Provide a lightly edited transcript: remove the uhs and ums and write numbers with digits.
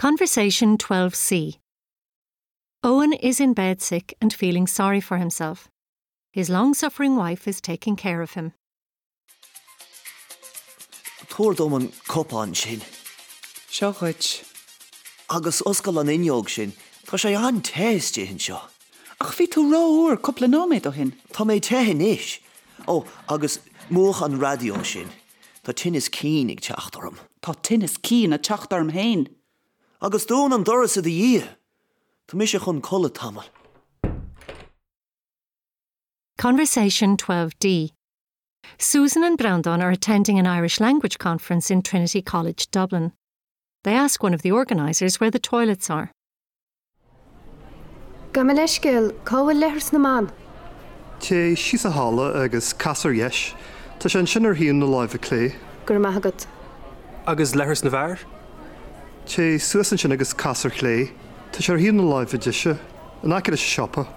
Conversation 12C Owen is in bed sick and feeling sorry for himself. His long-suffering wife is taking care of him. Tabhair dom an cupán sin. Seo dhuit. Agus oscail an fhuinneog sin, tá sé an-te istigh anseo. Ach bhí tú rófhuar cúpla nóiméad ó shin. Tá mé te anois. Ó, agus múch an raidió sin. Tá tinneas cinn ag teacht orm. Tá tinneas cinn ag teacht orm féin. Agus dún an doras i do dhiaidh. Tá mise chun codladh tamall. Conversation 12D Susan and Breandán are attending an Irish language conference in Trinity College, Dublin. They ask one of the organisers where the toilets are. Gabh mo leithscéal, cá bhfuil leithreas na mban? Téigh síos an halla agus cas ar dheis. Tá sé ansin ar thaobh na láimhe clé. Go raibh maith agat. Agus leithreas na bhfear? Téigh suas ansin agus cas ar chlé. Tá sé ar thaobh na láimhe deise, in aice leis an siopa.